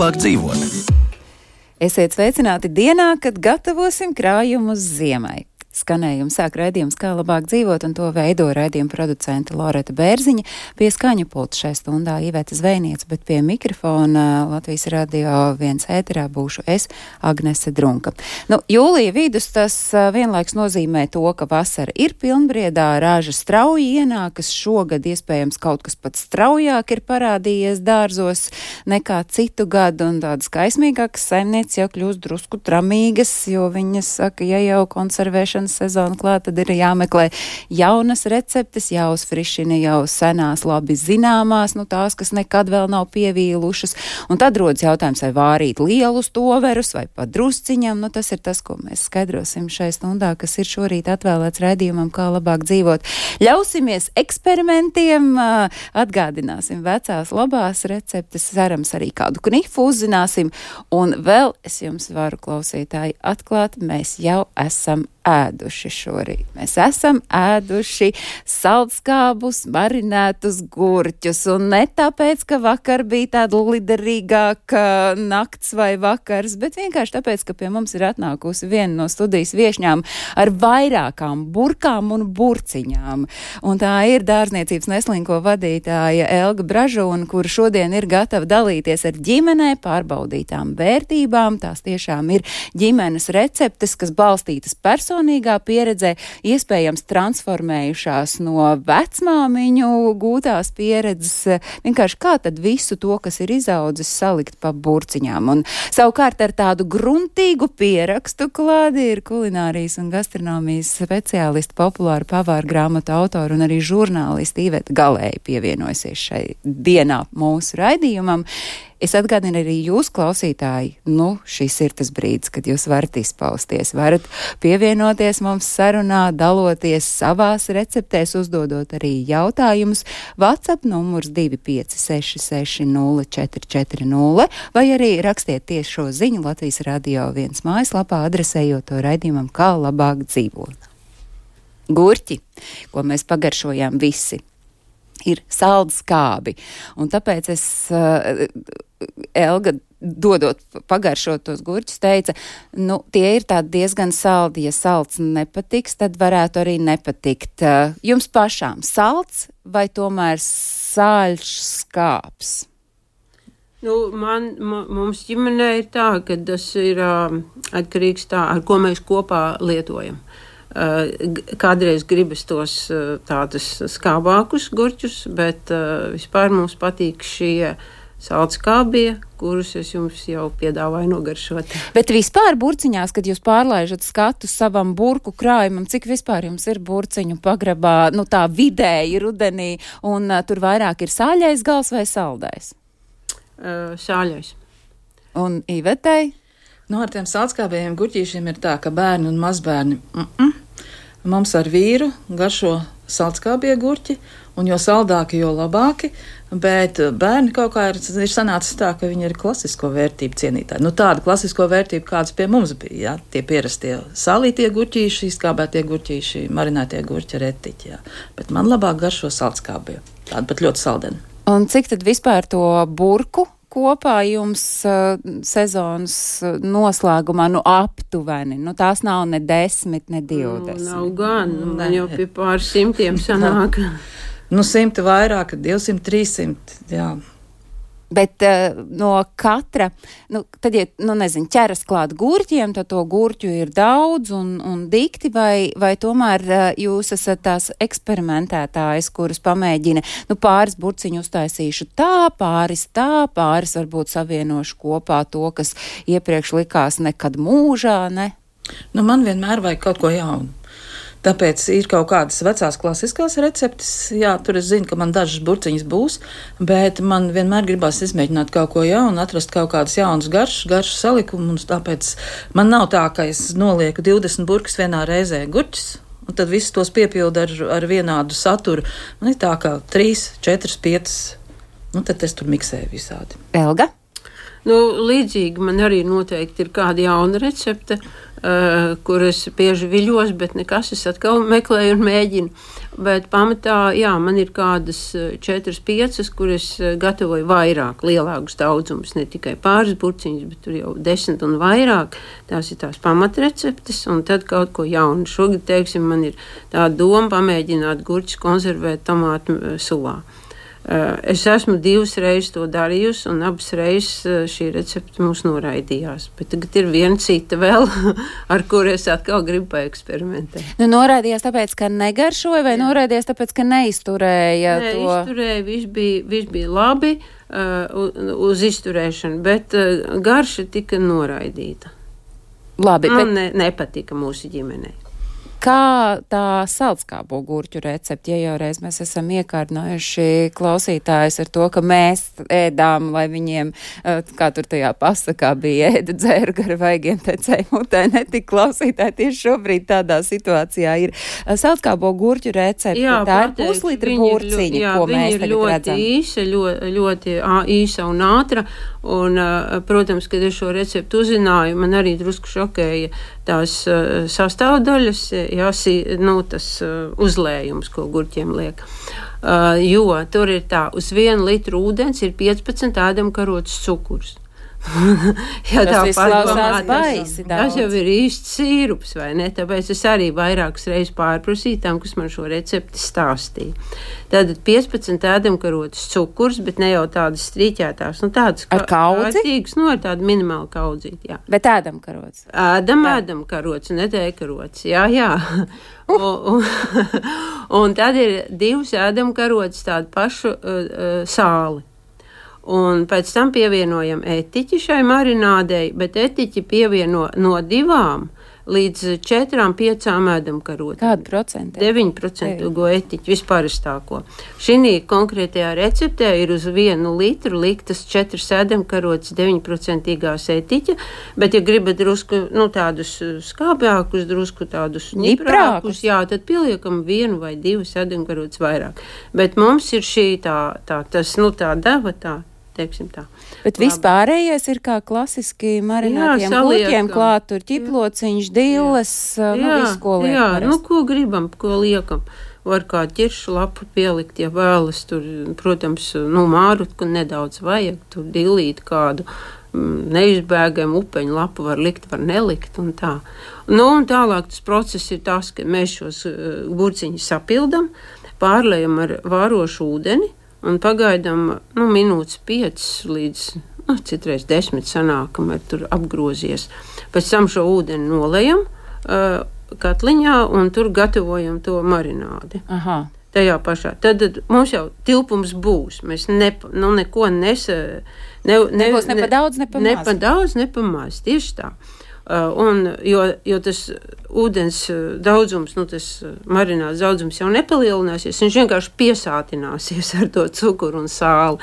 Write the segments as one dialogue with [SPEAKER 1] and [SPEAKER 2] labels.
[SPEAKER 1] labāk dzīvot.
[SPEAKER 2] Esiet sveicināti dienā, kad gatavosim krājumus ziemai. Skanējumu sāk raidījums Kā labāk dzīvot, un to veido raidījuma producente Loreta Bērziņa. Pie skaņu pulta šai stundā Iveta Zvejniece, bet pie mikrofona Latvijas Radio 1 ēterā būšu es, Agnese Drunka. Jūlija vidus tas vienlaiks nozīmē to, ka vasara ir pilnbriedā, raža strauji ienākas, šogad iespējams kaut kas pat straujāk ir parādījies dārzos nekā citu gadu, un tādas kaismīgākas saimnieces jau kļūst drusku tramīgas, jo viņas saka, ja jau konservēšana sezonu klāt, tad ir jāmeklē jaunas receptes, jāuzfrišina jau senās, labi zināmās, tās, kas nekad vēl nav pievīlušas. Un tad rodas jautājums, vai vārīt lielus toverus, vai pat drusciņam. Tas ir tas, ko mēs skaidrosim šai stundā, kas ir šorīt atvēlēts raidījumam Kā labāk dzīvot. Ļausimies eksperimentiem, atgādināsim vecās labās receptes, cerams arī kādu knifu uzzināsim. Un vēl es jums varu, klausītāji, atklāt, mēs jau esam ēduši šorīt. Mēs esam ēduši saldskābus, marinētus gurķus, un ne tāpēc, ka vakar bija tāda liderīgāka nakts vai vakars, bet vienkārši tāpēc, ka pie mums ir atnākusi viena no studijas viešņām ar vairākām burkām un burciņām. Un tā ir dārzniecības neslinko vadītāja Elga Bražūna, kura šodien ir gatava dalīties ar ģimenē pārbaudītām vērtībām. Tās tiešām ir ģimenes receptes, kas balstītas personīgā pieredzē, iespējams transformējušās no vecmāmiņu gūtās pieredzes, vienkārši kā tad visu to, kas ir izaudzis, salikt pa burciņām. Un savukārt ar tādu gruntīgu pierakstu klādi ir kulinārijas un gastronomijas speciālisti, populāru pavāru grāmatu autori un arī žurnālisti Iveta Galēja pievienojusies šai dienā mūsu raidījumam. Es atgādinu arī jūs, klausītāji, šis ir tas brīdis, kad jūs varat izpausties, varat pievienoties mums sarunā, daloties savās receptēs, uzdodot arī jautājumus. WhatsApp numurs 256604440 vai arī rakstiet tieši šo ziņu Latvijas Radio 1 mājaslapā, adresējot to raidījumam Kā labāk dzīvot. Gurķi, ko mēs pagaršojām visi, ir saldskābi, un tāpēc es Elga, dodot pagaršot tos gurķus, teica, tie ir tādi diezgan saldi, ja salds nepatiks, tad varētu arī nepatikt. Jums pašām salds vai tomēr sāļš skāps?
[SPEAKER 3] Mums ģimenē ir tā, ka tas ir atkarīgs tā, ar ko mēs kopā lietojam. Kādreiz gribas tos tādus skābākus gurķus, bet vispār mums patīk šie saldskābie, kurus es jums jau piedāvāju nogaršot.
[SPEAKER 2] Bet vispār burciņās, kad jūs pārlaižat skatu savam burku krājumam, cik vispār jums ir burciņu pagrabā, tā vidēji rudenī, un tur vairāk ir sāļais gals vai saldais?
[SPEAKER 3] Sāļais.
[SPEAKER 2] Un Ivetai?
[SPEAKER 4] Ar tiem saldskābējiem gurķīšiem ir tā, ka bērni un mazbērni mums ar vīru garšo saldskābie gurķi, un jo saldāki, jo labāki, bet bērni kaut kā ir sanācis tā, ka viņi ir klasisko vērtību cienītāji. Tāda klasisko vērtību, kādas pie mums bija, tie pierastie salītie gurķīši, izkābētie gurķīši, marinētie gurķi, retiķi, bet man labāk garšo saldskābie, tādi pat ļoti saldeni.
[SPEAKER 2] Un cik tad vispār to burku kopā jums sezonas noslēgumā, aptuveni? Tās nav ne 10, ne 20.
[SPEAKER 3] Nav gan, man jau pie pār 100 sanāk.
[SPEAKER 4] 100 vairāk, 200, 300, jā.
[SPEAKER 2] Bet no katra, tad, ja, ķeras klāt gurķiem, tad to gurķu ir daudz un dikti, vai tomēr jūs esat tās eksperimentētājs, kuras pamēģina, pāris burciņu uztaisīšu pāris varbūt savienošu kopā to, kas iepriekš likās nekad mūžā, ne?
[SPEAKER 4] Man vienmēr vajag kaut ko jaunu. Tāpēc ir kaut kādas vecās klasiskās receptes, tur es zinu, ka man dažas burciņas būs, bet man vienmēr gribās izmēģināt kaut ko jaunu, atrast kaut kādas jaunas garšas salikumu, un tāpēc man nav tā, ka es nolieku 20 burkas vienā reizē gurķis, un tad visus tos piepildu ar vienādu saturu. Man ir tā, ka 3, 4, 5, tad es tur miksēju visādi.
[SPEAKER 2] Elga?
[SPEAKER 3] Līdzīgi man arī noteikti ir kāda jauna recepte. kur es bieži viļos, bet nekas, es atkal meklēju un mēģinu. Bet pamatā, jā, man ir kādas 4-5, kur es gatavoju vairāk, lielākus daudzumus, ne tikai pāris burciņus, bet tur jau 10 un vairāk. Tās ir tās pamatreceptes, un tad kaut ko jaunu. Šogad, teiksim, man ir tā doma pamēģināt gurķus konservēt tomātu sulā. Es esmu 2 reizes to darījusi, un abas reizes šī recepte mums noraidījās. Bet tagad ir viena cita vēl, ar kuru es atkal gribu paeksperimentēt.
[SPEAKER 2] Nu, noraidījās tāpēc, ka negaršoja, vai noraidījās tāpēc, ka neizturēja
[SPEAKER 3] to?
[SPEAKER 2] Neizturēja,
[SPEAKER 3] viss bija labi uz izturēšanu, bet garša tika noraidīta.
[SPEAKER 2] Labi,
[SPEAKER 3] bet nepatika mūsu ģimenei.
[SPEAKER 2] Kā tā saldskābo gurķu recepte, ja jau reiz mēs esam iekārdinājuši klausītājus ar to, ka mēs ēdām, lai viņiem, kā tur tajā pasakā bija, ēda dzēru gar vaigiem tecēju mutē, netik klausītāji tieši šobrīd tādā situācijā ir. Saldskābo gurķu recepte,
[SPEAKER 3] jā,
[SPEAKER 2] tā ir puslitra burciņa, ko mēs tagad redzam.
[SPEAKER 3] Ļoti īsa un ātra, un, protams, kad es šo receptu uzzināju, man arī drusku šokēja tās sastāvdaļas, tas uzlējums, ko gurķiem liek. Jo tur ir tā, uz 1 litru ūdens ir 15 ēdamkarotes cukurs.
[SPEAKER 2] Tas izklausās baisi daudz.
[SPEAKER 3] Tas jau ir īsts sīrups, vai ne? Tāpēc es arī vairākas reizes pārprasīju tam, kas man šo recepti stāstīja. Tātad 15 ēdamkarotes cukurs, bet ne jau tādas strīķētās, tādas
[SPEAKER 2] ar kaudzi?
[SPEAKER 3] Kārtīgas, ar tādu minimālu kaudzīti, jā.
[SPEAKER 2] Bet ēdamkarotes?
[SPEAKER 3] Ēdamkarotes un netēkarotes, jā. Un tad ir 2 ēdamkarotes tādu pašu sāli. Un pēc tam pievienojam etiķi šai marinādei, bet etiķi pievieno no 2 līdz 4-5 ēdamkarotēm.
[SPEAKER 2] Kādu procentu?
[SPEAKER 3] 9% etiķi vispāristāko. Šī konkrētajā receptē ir uz 1 litru liktas 4 ēdamkarotes 9% etiķa, bet, ja gribat drusku, tādus skābākus, drusku tādus niprākus, jā, tad pieliekam 1 vai 2 ēdamkarotes vairāk. Bet mums ir šī tā deva tā. Tā.
[SPEAKER 2] Bet vispārējais ir kā klasiski marinātiem gurķiem klāt, tur ķiplociņš, dilles, visu, ko liek.
[SPEAKER 3] Jā, ko gribam, ko liekam. Var kā ķiršu lapu pielikt, ja vēlas, tur, protams, mārutku nedaudz vajag, tur dillīt kādu neizbēgamu upeņu lapu var likt, var nelikt un tā. Un tālāk tas process ir tas, ka mēs šos burciņus sapildam, pārlējam ar vārošu ūdeni, un pagaidām minūtes 5 līdz citreiz 10 sanāk, kamēr tur apgrozies. Pēc tam šo ūdeni nolejam katliņā un tur gatavojam to marinādi.
[SPEAKER 2] Aha.
[SPEAKER 3] Tajā pašā. Tad mums jau tilpums būs. Mēs neko nebūs
[SPEAKER 2] ne pa daudz, ne pa maz.
[SPEAKER 3] Ne pa daudz, ne pa maz. Tieši tā. Jo tas ūdens daudzums, tas marināts daudzums jau nepalielināsies, viņš vienkārši piesātināsies ar to cukuru un sāli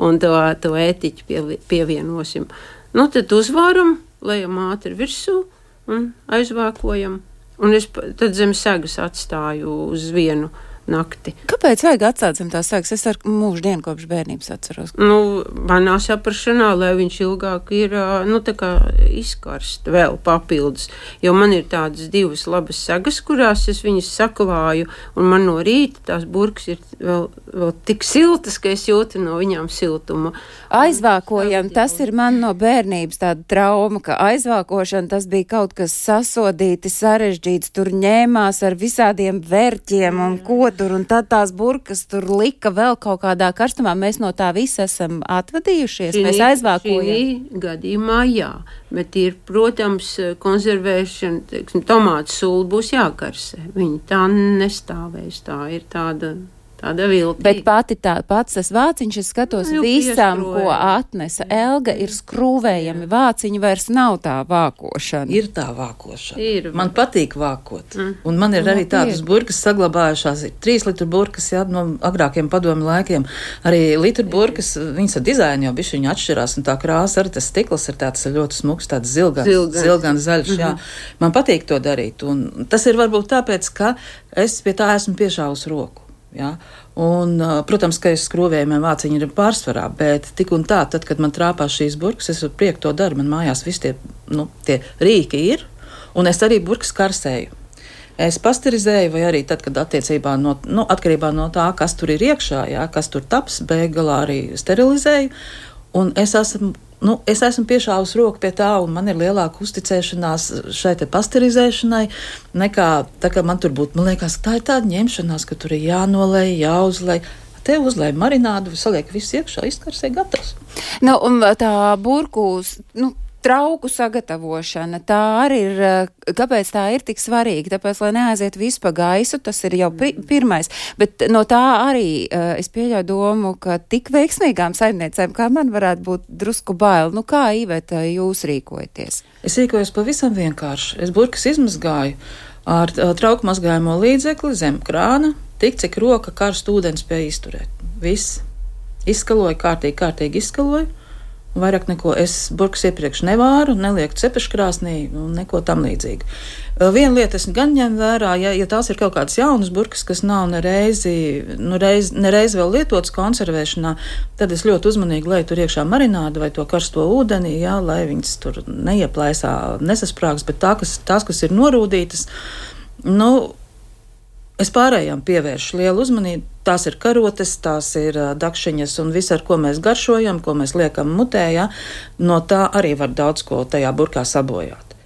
[SPEAKER 3] un to etiķi pievienosim. Tad uzvāram, lejam ātri virsū un aizvākojam. Un es tad zem segas atstāju uz 1 nakti.
[SPEAKER 2] Kāpēc vajag atstāt zem tās segas? Es ar mūžu dienu kopš bērnības atceros.
[SPEAKER 3] Manā saprašanā, lai viņš ilgāk ir, izkarst vēl papildus. Jo man ir tādas 2 labas segas, kurās es viņas saklāju, un man no rīta tās burkas ir vēl tik siltas, ka es jūtu no viņām siltumu.
[SPEAKER 2] Aizvākojam, tas ir man no bērnības tāda trauma, ka aizvākošana tas bija kaut kas sasodīti, sarežģīts, tur ņēmās ar visādiem vērķiem un ko tur, un tad tās burkas tur lika vēl kaut kādā karstumā. Mēs no tā visa esam atvadījušies, mēs aizvākojam.
[SPEAKER 3] Šī gadījumā jā, bet ir, protams, konservēšana, tomātu sula būs jākarsē. Viņi tā nestāvēs, tā ir tāda viltīga.
[SPEAKER 2] Bet pats tas vāciņš, es skatos visam, ko atnesa Elga, ir skrūvējami vāciņi, vairs nav tā vākošana.
[SPEAKER 4] Ir tā vākošana. Man patīk vākot. Un man ir arī tādas burkas saglabājušās, 3 litru burkas, no agrākiem padomu laikiem. Arī litru burkas, viņas ar dizainu jau bišķiņi atšķirās, un tā krāsa arī tas stikls ir tāds ļoti smuks, tāds zilgans zaļš, jā. Man patīk to darīt, un tas ir varbūt tāpēc, ka es pie tā esmu piešāvus roku. Ja? Un, protams, ka es skrūvējumiem vāciņi ir pārsvarā, bet tik un tā, tad, kad man trāpās šīs burkas, es ar prieku to daru. Man mājās visi tie rīki ir, Un es arī burkas karsēju. Es pasterizēju, vai arī tad, kad atkarībā no tā, kas tur ir iekšā, jā, kas tur taps, beigās arī sterilizēju. Un es esmu piešāvis roku pie tā, un man ir lielāka uzticēšanās šai te pasterizēšanai, nekā tā, ka man tur būtu, man liekas, tā ir tāda ņemšanās, ka tur ir jānolej, jāuzlej. Te uzlēja marinādu, saliek visu iekšā, izkarsē gatavs.
[SPEAKER 2] Un tā burku, trauku sagatavošana, tā arī ir, kāpēc tā ir tik svarīga? Tāpēc, lai neaiziet visu pa gaisu, tas ir jau pirmais. Bet no tā arī es pieļauju domu, ka tik veiksmīgām saimniecēm, kā man varētu būt drusku bail. Kā, Iveta, jūs rīkojaties?
[SPEAKER 4] Es rīkojos pavisam vienkārši. Es burkas izmazgāju ar trauku mazgājumu līdzekli zem krāna, tik cik roka karstu ūdeni spēja izturēt. Viss. Izskaloju, kārtīgi izskaloju. Vairāk neko es burkas iepriekš nevāru, nelieku cepeškrāsnī, neko tam līdzīgu. Viena lieta es gan ņem vērā, ja tās ir kaut kādas jaunas burkas, kas nav nereiz vēl lietotas konservēšanā, tad es ļoti uzmanīgi leju tur iekšā marinādu vai to karsto ūdeni, jā, lai viņas tur neieplaisā, nesasprāgs, bet tās, kas ir norūdītas, es pārējām pievēršu lielu uzmanību. Tās ir karotes, tās ir dakšiņas un viss, ar ko mēs garšojam, ko mēs liekam mutē, ja? No tā arī var daudz ko tajā burkā sabojāt.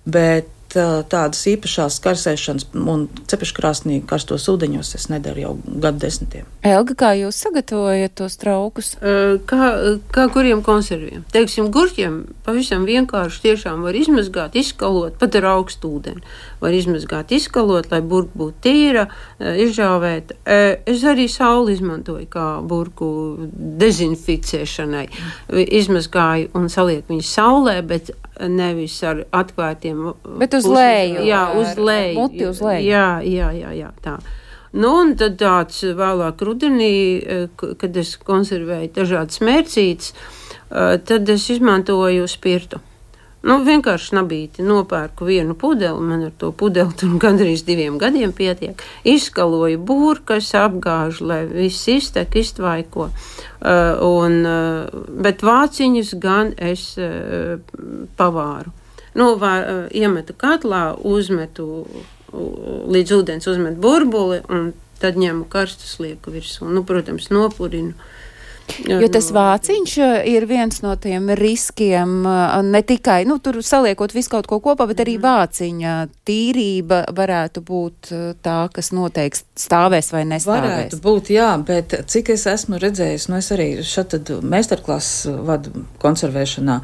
[SPEAKER 4] Bet tādas īpašās karsēšanas un cepeškrāsnī karstos ūdeņos es nedaru jau gadu desmitiem.
[SPEAKER 2] Elga, kā jūs sagatavojat tos traukus?
[SPEAKER 3] Kā kuriem konserviem? Teiksim, gurķiem pavisam vienkārši tiešām var izmazgāt, izskalot, pat ar augstu ūdeni. Var izmazgāt, izskalot, lai burka būtu tīra, izžāvēt. Es arī sauli izmantoju kā burku dezinficēšanai. Izmazgāju un salieku viņu saulē, bet nevis ar atvērtiem.
[SPEAKER 2] Bet uz leju.
[SPEAKER 3] Jā, uz leju.
[SPEAKER 2] Muti uz leju.
[SPEAKER 3] Jā, tā. Un tad tāds vēlāk rudenī, kad es konservēju dažādas mērcītes, tad es izmantoju spirtu. Vienkārši nabīti nopērku vienu pudeli, man ar to pudeli tur gandrīz 2 gadiem pietiek. Izskaloju burkas, apgāžu, lai viss iztek, iztvaiko. Bet vāciņus gan es pavāru. Iemetu katlā, uzmetu līdz ūdens, uzmetu burbuli un tad ņemu karstu slieku virsū. Protams, nopurinu.
[SPEAKER 2] Jo tas vāciņš ir viens no tiem riskiem, ne tikai, tur saliekot visu kaut ko kopā, bet arī vāciņa tīrība varētu būt tā, kas noteikti stāvēs vai nestāvēs.
[SPEAKER 4] Varētu būt, jā, bet cik es esmu redzējis, es arī šatad meistarklases vadu konservēšanā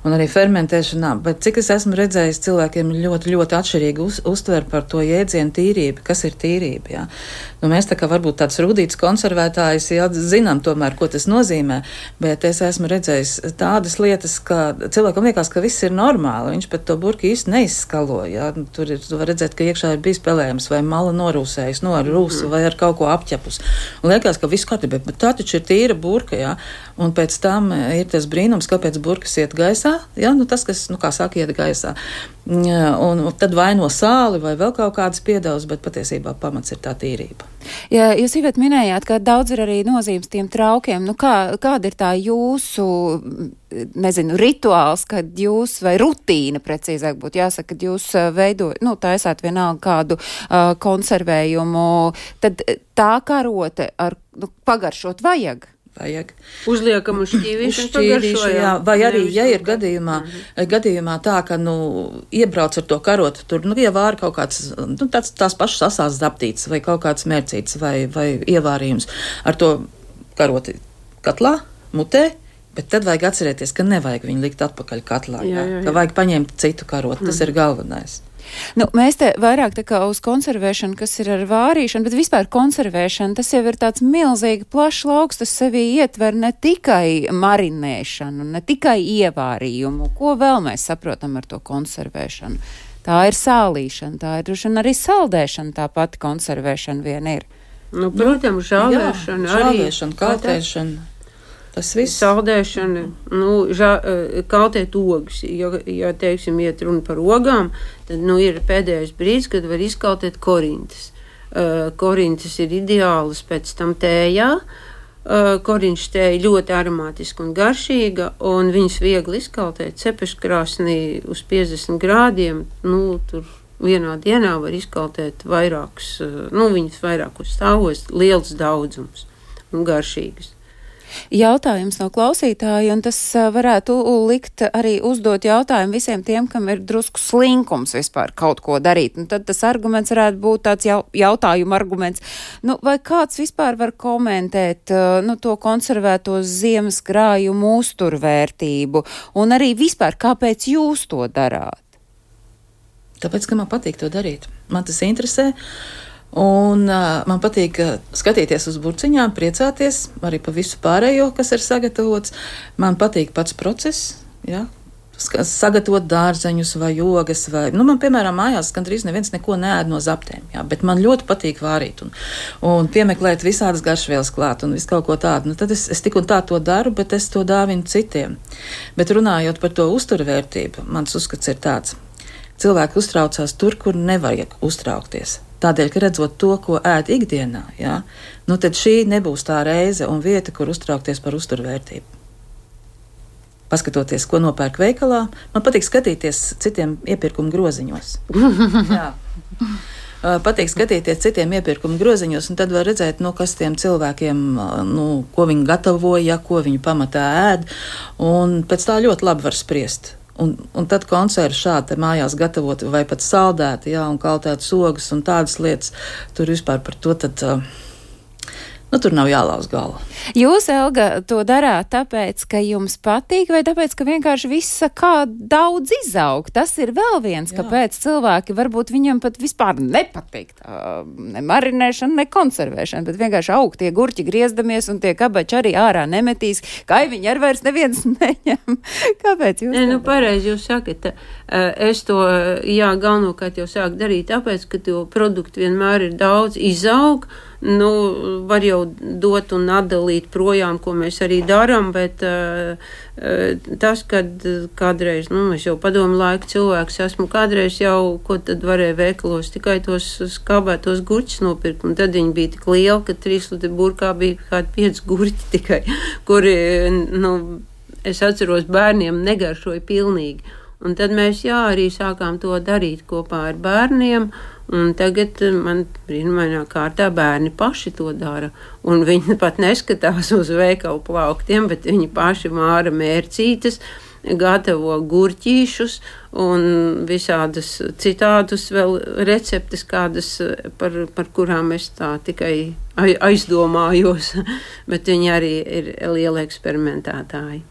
[SPEAKER 4] un arī fermentēšanā, bet cik es esmu redzējis, cilvēkiem ļoti, ļoti atšķirīgi uztver par to jēdzienu tīrība, kas ir tīrība, jā. Mēs tā kā varbūt tāds rudīts konservētājs, jā, zinām tomēr, ko tas nozīmē, bet es esmu redzējis tādas lietas, ka cilvēkam liekas, ka viss ir normāli, viņš pat to burku īsti neizskalo, jā. Tur var redzēt, ka iekšā ir bijis pelējums vai mala norūsējis, ar rūsu vai ar kaut ko apķepus. Un liekas, ka viss kārtībā, bet tā taču ir tīra burka, jā. Un pēc tam ir tas brīnums, kāpēc burkas iet gaisā, jā, tas, kas, kā saka, iet gaisā. Un tad vaino sāli vai vēl kaut kādas piedevas, bet patiesībā pamats ir tā tīrība.
[SPEAKER 2] Ja jūs Iveta minējāt, ka daudz ir arī nozīmes tiem traukiem, kāda ir tā jūsu, rituāls, kad jūs, vai rutīna, precīzāk būtu jāsaka, kad jūs taisāt vienalga kādu konservējumu, tad tā karote ar pagaršot vajag?
[SPEAKER 4] Vajag.
[SPEAKER 3] Uzliekam uz šķīvīšu,
[SPEAKER 4] jā, vai arī, ja ir gadījumā tā, ka, iebrauc ar to karotu, tur, ievāra kaut kāds, tās pašas asās zaptītes, vai kaut kāds mērcītes, vai ievārījums ar to karoti katlā, mutē, bet tad vajag atcerēties, ka nevajag viņu likt atpakaļ katlā, jā. Ka vajag paņemt citu karotu, tas ir galvenais.
[SPEAKER 2] Mēs te vairāk tā kā uz konservēšanu, kas ir ar vārīšanu, bet vispār konservēšana, tas jau ir tāds milzīgi plašs lauks, tas sevī ietver ne tikai marinēšanu, ne tikai ievārījumu. Ko vēl mēs saprotam ar to konservēšanu? Tā ir sālīšana, tā ir droši vien arī saldēšana, tā pati konservēšana vien ir.
[SPEAKER 3] Protams, žāvēšana,
[SPEAKER 4] kaltēšana. Tas viss.
[SPEAKER 3] Saldēšana, kaltēt ogas. Ja teiksim, iet runa par ogām, tad, ir pēdējais brīdis, kad var izkaltēt korintas. Korintas ir ideālas pēc tam tējā, Koriņš tēja ļoti aromātiska un garšīga, un viņas viegli izkaltēt cepeškrāsnī uz 50 grādiem. Tur vienā dienā var izkaltēt vairākus, viņas vairākus stāvos, liels daudzums un garšīgas.
[SPEAKER 2] Jautājums no klausītāja, un tas varētu likt arī uzdot jautājumu visiem tiem, kam ir drusku slinkums vispār kaut ko darīt. Un tad tas arguments varētu būt tāds jautājuma arguments. Vai kāds vispār var komentēt to konservēto ziemas krājumu uzturvērtību, un arī vispār, kāpēc jūs to darāt?
[SPEAKER 4] Tāpēc, ka man patīk to darīt. Man tas interesē. Un man patīk skatīties uz burciņām, priecāties arī par visu pārējo, kas ir sagatavots. Man patīk pats process, sagatavot dārzeņus vai jogas. Man, piemēram, mājās gandrīz neviens neko neēd no zaptēm, bet man ļoti patīk vārīt un piemeklēt visādas garšvielas klāt un visu kaut ko tādu. Tad es tik un tā to daru, bet es to dāvinu citiem. Bet runājot par to uzturvērtību, mans uzskats ir tāds. Cilvēki uztraucās tur, kur nevajag uztraukties. Tādēļ, ka redzot to, ko ēd ikdienā, tad šī nebūs tā reize un vieta, kur uztraukties par uzturvērtību. Paskatoties, ko nopērk veikalā, man patīk skatīties citiem iepirkuma groziņos. Patīk skatīties citiem iepirkuma groziņos, un tad var redzēt, kas tiem cilvēkiem, ko viņi gatavoja, ko viņi pamatā ēd, un pēc tā ļoti labi var spriest. Un tad konservi šādi mājās gatavot vai pat saldēti, un kaltēt sogas un tādas lietas, tur vispār par to tad, tur nav jālauz galva.
[SPEAKER 2] Jūs, Elga, to darāt tāpēc, ka jums patīk, vai tāpēc, ka vienkārši viss kā daudz izaug? Tas ir vēl viens, kāpēc cilvēki varbūt viņam pat vispār nepatīk ne marinēšana, ne konservēšana, bet vienkārši aug tie gurķi griezdamies un tie kabači arī ārā nemetīs, kaiviņi ar vairs neviens neņem. Kāpēc jūs?
[SPEAKER 3] Pareizi jūs sakat. Es to, galvenokārt jau sāku darīt, tāpēc, ka to produktu vienmēr ir daudz, izaug, var jau dot un atdalīt projām, ko mēs arī darām, bet tas, kad kādreiz, es jau padomu laiku cilvēks esmu, kādreiz jau, ko tad varēja veikalos, tikai tos skābētos gurķus nopirkt, un tad viņi bija tik lieli, ka 3 litri burkā bija kādi 5 gurķi tikai, kuri, es atceros, bērniem negaršoja pilnīgi. Un tad mēs arī sākām to darīt kopā ar bērniem, un tagad man brīnumainā kārtā bērni paši to dara. Un viņi pat neskatās uz veikalu plauktiem, bet viņi paši māra mērcītes, gatavo gurķīšus un visādas citādus vēl receptes, kādas, par kurām es tā tikai aizdomājos, bet viņi arī ir lieli eksperimentētāji.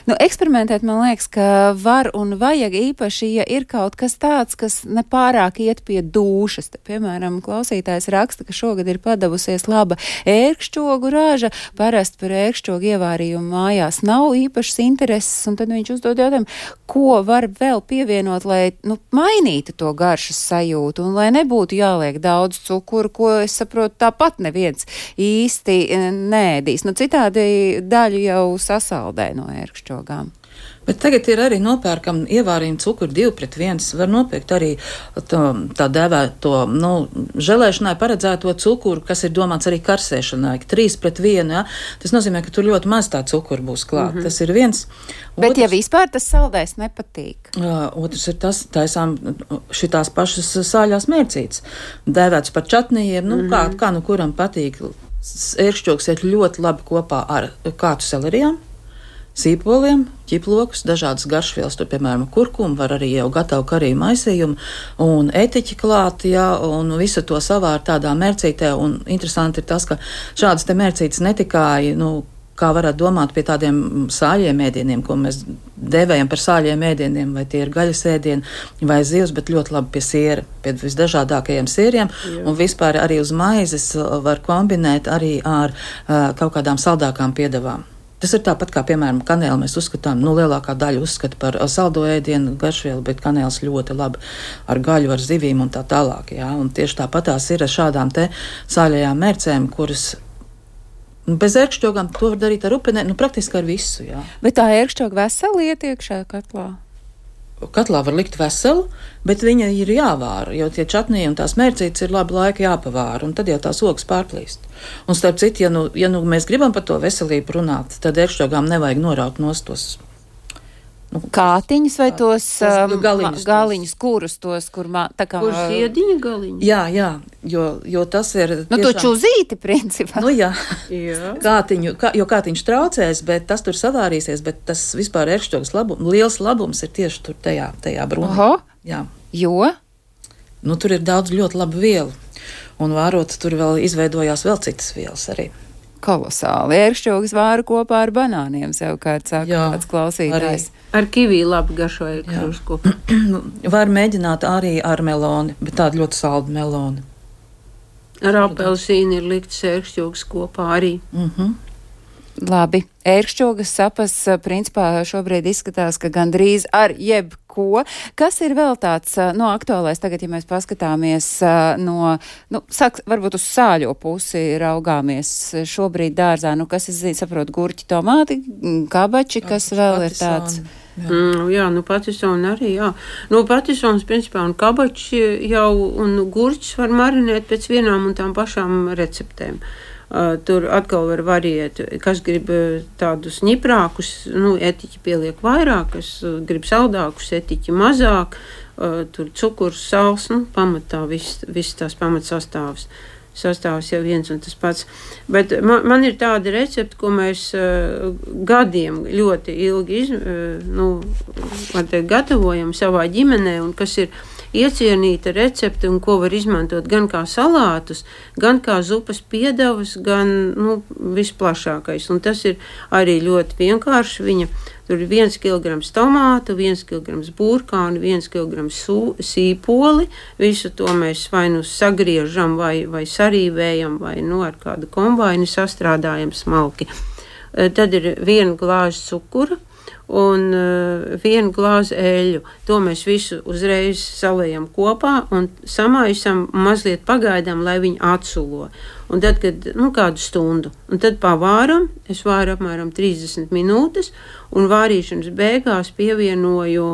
[SPEAKER 2] Eksperimentēt, man liekas, ka var un vajag īpaši, ja ir kaut kas tāds, kas nepārāk iet pie dūšas. Te, piemēram, klausītājs raksta, ka šogad ir padavusies laba ērkšķogu raža. Parasti par ērkšķogu ievārījumu mājās nav īpašas intereses, un tad viņš uzdod jautājumu, ko var vēl pievienot, lai mainītu to garšas sajūtu, un lai nebūtu jāliek daudz cukuru, ko es saprotu tāpat neviens īsti nēdīs. Citādi daļu jau sasaldē no ērkšķogām.
[SPEAKER 4] Bet tagad ir arī nopērkam ievārījumi cukuru 2:1. Var nopirkt arī tā dēvēto, želēšanai paredzēto cukuru, kas ir domāts arī karsēšanai, 3:1. Ja? Tas nozīmē, ka tur ļoti maz tā cukura būs klāt. Tas ir viens.
[SPEAKER 2] Bet ja vispār tas saldais nepatīk?
[SPEAKER 4] Otrs ir tas, taisām šitās pašas sāļās mērcītes. Dēvēts par čatnījiem, kā kuram patīk. Ērkšķogs iet ļoti labi kopā ar kātu selerijām, sīpoliem, ķiplokus, dažādas garšvielas, tur, piemēram, kurkumu, var arī jau gatavu kariju maisījumu un etiķi klāt, un visu to savār tādā mērcītē, un interesanti ir tas, ka šādas te mērcītes ne tikai, kā varētu domāt pie tādiem sāļiem ēdieniem, ko mēs devējam par sāļiem ēdieniem, vai tie ir gaļas ēdieni vai zivs, bet ļoti labi pie siera, pie visdažādākajiem sieriem, un vispār arī uz maizes var kombinēt arī ar kaut kādām saldākām piedevām. Tas ir tāpat kā, piemēram, kanēli mēs uzskatām, lielākā daļa uzskata par saldo ēdienu garšvielu, bet kanēls ļoti labi ar gaļu, ar zivīm un tā tālāk, un tieši tāpatās ir ar šādām te sāļajām mērcēm, kuras bez ērkšķogām to var darīt ar upeni, praktiski ar visu,
[SPEAKER 2] Bet tā ērkšķoga veseli iet iekšā katlā?
[SPEAKER 4] katlā var likt veselu, bet viņa ir jāvāra, jo tie čatnī un tās mērcītes ir labi laika jāpavāra, un tad jau tās ogas pārplīst. Un starp citu, ja nu mēs gribam par to veselību runāt, tad ērkšķogām nevajag noraut nost tos.
[SPEAKER 2] Kātiņus vai tos
[SPEAKER 4] galiņus,
[SPEAKER 2] kurus tos, kur tā kā...
[SPEAKER 3] Kur ziediņa galiņi?
[SPEAKER 4] Jā, jo tas ir...
[SPEAKER 2] Nu, to čuzīti, principā.
[SPEAKER 4] Nu, jā.
[SPEAKER 3] Jā.
[SPEAKER 4] Jo kātiņš traucēs, bet tas tur savārīsies, bet tas vispār ērkšķogas liels labums ir tieši tur tajā brūnī.
[SPEAKER 2] Oho,
[SPEAKER 4] jā.
[SPEAKER 2] Jo?
[SPEAKER 4] Nu, tur ir daudz ļoti labu vielu, un vārot tur vēl izveidojās vēl citas vielas arī.
[SPEAKER 2] Kolosāli. Ērkšķogas vāra kopā ar banāniem, savukārt saka kāds klausītājs.
[SPEAKER 3] Ar kivī labi garšo ērkšķogas kopā.
[SPEAKER 4] Var mēģināt arī ar meloni, bet tāda ļoti salda meloni.
[SPEAKER 3] Ar apelsīnu ir likts ērkšķogas kopā arī.
[SPEAKER 2] Labi. Ērkšķogas sapas principā šobrīd izskatās, ka gandrīz ar jebko. Kas ir vēl tāds aktuālais tagad, ja mēs paskatāmies varbūt uz sāļo pusi raugāmies šobrīd dārzā, kas saprot, gurķi, tomāti, kabači, kas vēl ir tāds?
[SPEAKER 3] Jā, patisoni arī, jā. Patisons, principā, un kabači jau, un gurķis var marinēt pēc vienām un tām pašām receptēm. Tur atkal var variēt, kas grib tādus ņiprākus, etiķi pieliek vairāk, kas grib saldākus, etiķi mazāk, tur cukurs, sāls, pamatā viss tās pamatsastāvs. Sastāvs jau viens un tas pats. Bet man ir tāda recepte, ko mēs gadiem ļoti ilgi gatavojam savā ģimenē, un kas ir iecienīta recepte, un ko var izmantot gan kā salātus, gan kā zupas piedevas, gan visplašākais. Un tas ir arī ļoti vienkārši. Tur ir 1 kilograms tomātu, 1 kilograms burkānu, 1 kilograms sīpoli. Visu to mēs vai sagriežam, vai sarīvējam, vai ar kādu kombainu sastrādājam smalki. Tad ir 1 glāze cukura un 1 glāze eļļu. To mēs visu uzreiz saliejam kopā un samaisam mazliet pagaidām, lai viņi atsulo. Un tad, kad kādu stundu, un tad pavāram, es vāru apmēram 30 minūtes, un vārīšanas beigās pievienoju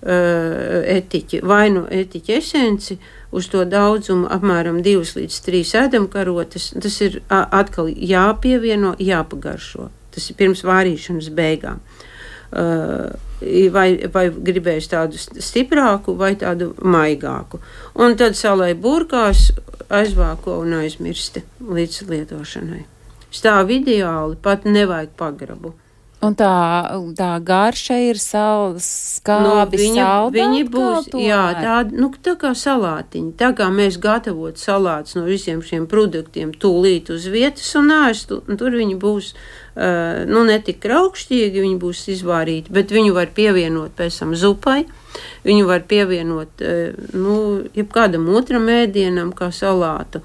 [SPEAKER 3] etiķi, vai etiķi esenci, uz to daudzumu apmēram 2 līdz 3 ēdamkarotes. Tas ir atkal jāpievieno, jāpagaršo. Tas ir pirms vārīšanas beigām. Vai gribējusi tādu stiprāku vai tādu maigāku. Un tad salai burkās, aizvāko un aizmirsti līdz lietošanai. Stāv ideāli, pat nevajag pagrabu.
[SPEAKER 2] Un tā garša ir skābi, saldāka?
[SPEAKER 3] Viņi būs, tā kā salātiņi. Tā kā mēs gatavot salātus no visiem šiem produktiem tūlīt uz vietas un ēstu, un tur viņi būs, netik raukšķīgi, viņi būs izvārīti, bet viņu var pievienot pēc tam zupai, viņu var pievienot, jebkādam otram ēdienam kā salātu.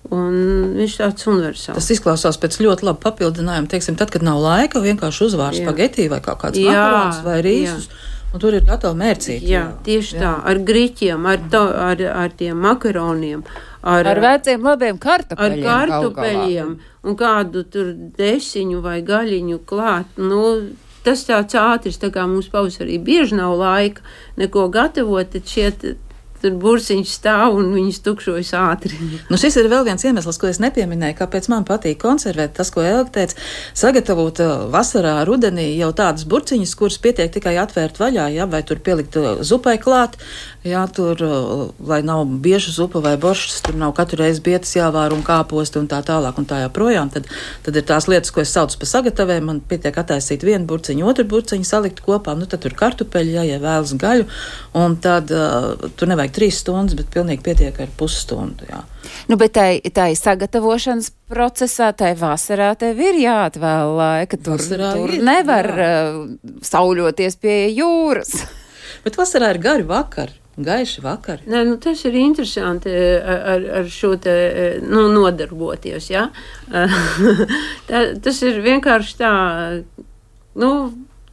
[SPEAKER 3] Un viņš tāds universāls.
[SPEAKER 4] Tas izklausās pēc ļoti laba papildinājuma. Teiksim, tad, kad nav laika, vienkārši uzvār spagetī vai kaut kāds makaronus vai rīsus, un tur ir gatavi mērcīti.
[SPEAKER 3] Jā, tieši tā, ar griķiem, ar tiem makaroniem.
[SPEAKER 2] Ar veciem labiem kartupeļiem.
[SPEAKER 3] Ar kartupeļiem un kādu tur desiņu vai gaļiņu klāt. Tas tāds ātris, tā kā mums pavasarī bieži nav laika neko gatavot, tad šiet tur burciņš stāv un viņas tukšojas ātri.
[SPEAKER 4] Šis ir vēl viens iemesls, ko es nepieminēju, kāpēc man patīk konservēt. Tas, ko Elga teica, sagatavot vasarā, rudenī jau tādas burciņas, kuras pietiek tikai atvērt vaļā, vai tur pielikt zupai klāt, tur, lai nav bieža zupa vai boršs, tur nav katru reizi bietas jāvāra un kāposti un tā tālāk un tā joprojām. Tad ir tās lietas, ko es saucu par sagatāvēm, man pietiek attaisīt 1 burciņu, 2 burciņu, salikt kopā, tad tur kartupeļi, ja vēlas gaļu, un tad tur nevajag 3 stundas, bet pilnīgi pietiek ar pusstundu, jā.
[SPEAKER 2] Bet tai sagatavošanas procesā, tai vasarā tev ir jāatvēl laika, tur nevar sauļoties pie jūras.
[SPEAKER 4] Bet vasarā ir gari vakari. Gaiši vakari.
[SPEAKER 3] Nē, tas ir interesanti ar šo te nodarboties, jā. Tas ir vienkārši tā,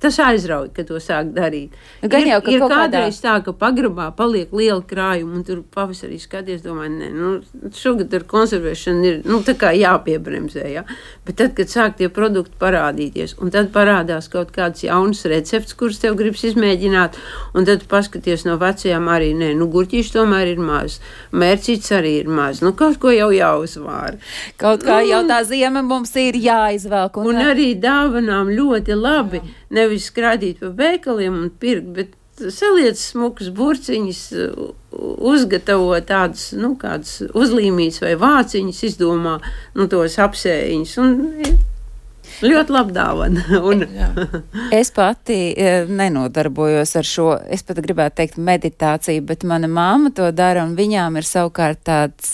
[SPEAKER 3] tas aizrauj, ka to sāk darīt.
[SPEAKER 2] Gan jau, ka
[SPEAKER 3] ir
[SPEAKER 2] kaut
[SPEAKER 3] kādreiz tā, ka pagrabā paliek liela krājuma, un tur pavasarī skaties, domāju, šogad ar konservēšanu ir, tā kā jāpiebremzē, jā. Bet tad, kad sāk tie produkti parādīties, un tad parādās kaut kāds jauns recepts, kurus tev gribas izmēģināt, un tad paskaties no vecajām arī, gurķīši tomēr ir maz, mērcīts arī ir maz, kaut ko jau jāuzvāra.
[SPEAKER 2] Kaut kā jau tā ziema mums ir jāizvelk.
[SPEAKER 3] Un arī dāvanām ļoti labi, nevis skrādīt pa veikaliem un pirkt, bet saliec smukus burciņus, uzgatavo tādus, kādus uzlīmītus vai vāciņus, izdomā, tos apsējiņus, un ļoti labi dāvana.
[SPEAKER 2] Es pati nenodarbojos ar šo, es pat gribētu teikt meditāciju, bet mana māma to dara, un viņām ir savukārt tāds